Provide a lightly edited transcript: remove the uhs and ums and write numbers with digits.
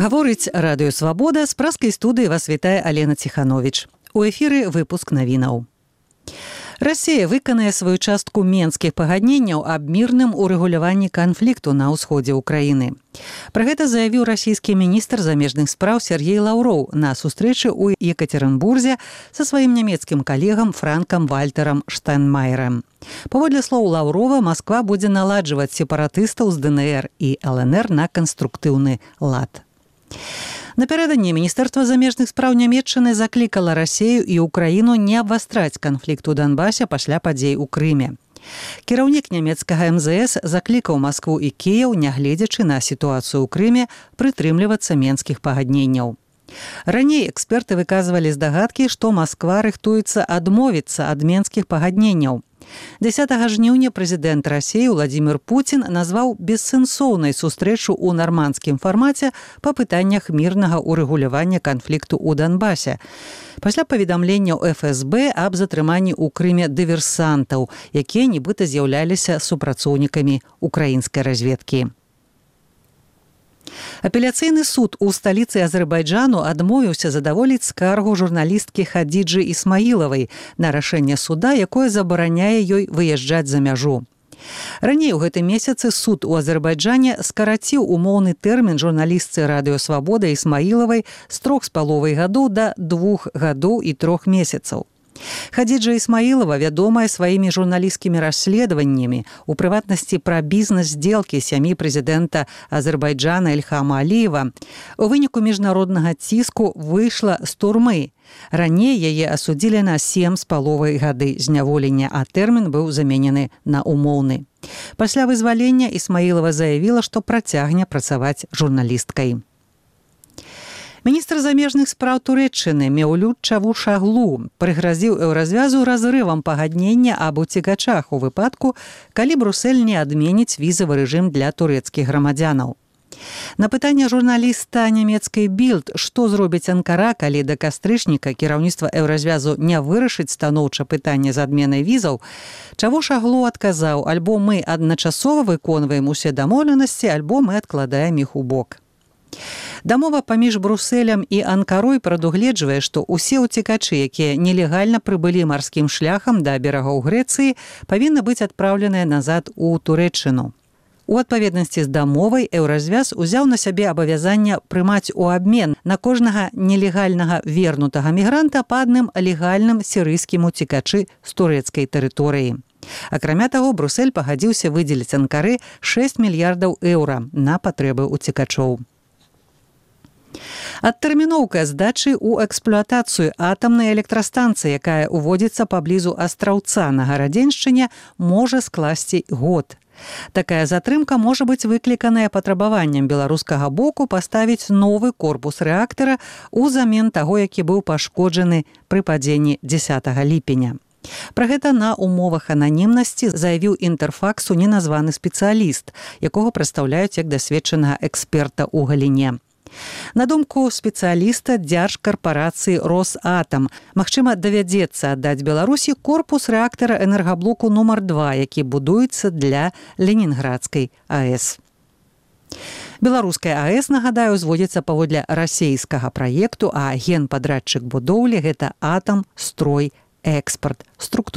Гаворыць радыё «Свабода», з праскай студыі вас вітае Алена Ціхановіч. У эфіры выпуск навінаў. Расія выканае сваю частку менскіх пагадненняў аб мірным урэгуляванні канфлікту на ўсходзе ўкраіны. Пра гэта заявіў расійскі міністр замежных спраў Сергей Лаўроў на сустрэчы ў Екатеринбурзе са сваім нямецкім калегам Франкам Вальтарам Штайнмаерам. Паводле слоў Лаўрова, Масква будзе наладжваць сепаратыстаў з ДНР і ЛНР на канструктыўны лад. Напярэдадні Міністэрства замежных спраў Нямецчыны заклікала Расію і Украіну не абвастраць канфлікт у Донбасе пасля падзей у Крыме. Кіраўнік нямецкага МЗС заклікаў Маскву і Кіеў, нягледзячы на сітуацыю ў Крыме, прытрымлівацца менскіх пагадненняў. Раней эксперты выказвалі здагадкі, што Масква рыхтуецца адмовіцца ад менскіх пагадненняў. 10 жніўня прэзідэнт Расіі Владзімір Пуцін назваў бессэнсоўнай сустрэчу ў нармандскім фармаце па пытаннях мірнага ўрэгулявання канфлікту ў Донбасе. Пасля паведамленняў ФСБ аб затрыманні ў Крыме дыверсантаў, якія нібыта з'яўляліся супрацоўнікамі украінскай разведкі. Апеляцыйны суд у сталіцы Азербайджану адмовіўся задаволіць скаргу журналісткі Хадзіджы Ісмаілавай на рашэнне суда, якое забараняе ёй выязджаць за мяжу. Раней у гэтым месяцы суд у Азербайджане скараціў умоўны тэрмін журналістцы радыё «Свабода» Ісмаілавай з 3,5 гадоў да 2 гадоў і 3 месяцаў. Хадзіджа Ісмаілава вядомая сваімі журналісцкімі расследаваннямі, у прыватнасці пра бізнес-здзелкі сям'і прэзідэнта Азербайджана Ільхама Аліева. У выніку міжнароднага ціску выйшла з турмы. Раней яе асудзілі на 7,5 гады зняволення, а тэрмін быў заменены на умоўны. Пасля вызвалення Ісмаілава заявіла, што працягне працаваць журналісткай. Міністр замежных спраў Турэччыны Меўлют Чавушаглу прыгразіў Еўразвязу разрывам пагаднення аб уцекачах у выпадку, калі Брусэль не адменіць візавы рэжым для турэцкіх грамадзянаў. На пытанне журналіста нямецкай Більд, што зробіць Анкара, калі да кастрычніка кіраўніцтва Еўразвязу не вырашыць станоўча пытанне з адменай візаў, Чавушаглу адказаў: альбо мы адначасова выконваем усе дамоўленасці, альбо мы адкладаем іх у бок. Дамова паміж Брусэлем і Анкарой прадугледжвае, што ўсе ўцекачы, якія нелегальна прыбылі марскім шляхам да берагоў Грэцыі, павінны быць адпраўленыя назад у Турэччыну. У адпаведнасці з дамовай Еўразвяз узяў на сябе абавязанне прымаць у абмен на кожнага нелегальнага вернутага мігранта па адным легальным сірыйскім уцекачы з турэцкай тэрыторыі. Акрамя таго, Брусэль пагадзіўся выдзеліць Анкары 6 мільярдаў еўра на патрэбы уцекачоў. Адтэрміноўка здачы ў эксплуатацыю атамнай электрастанцыі, якая ўводзіцца паблізу Астраўца на Гарадзеншчыне, можа скласці год. Такая затрымка можа быць выкліканая патрабаваннем беларускага боку паставіць новы корпус рэактара ўзамен таго, які быў пашкоджаны пры падзенні 10 ліпеня. Пра гэта на умовах ананімнасці заявіў Інтэрфаксу неназваны спецыяліст, якога прадстаўляюць як дасведчанага эксперта ў галіне. На думку спецыяліста дзяржкарпарацыі «Росатам», магчыма, давядзецца аддаць Беларусі корпус рэактара энергаблоку нумар 2, які будуецца для Ленінградскай АЭС. Беларуская АЭС, нагадаю, узводзіцца паводле расейскага праекту, а генпадрадчык будоўлі – гэта «Атам Строй Экспарт». Структура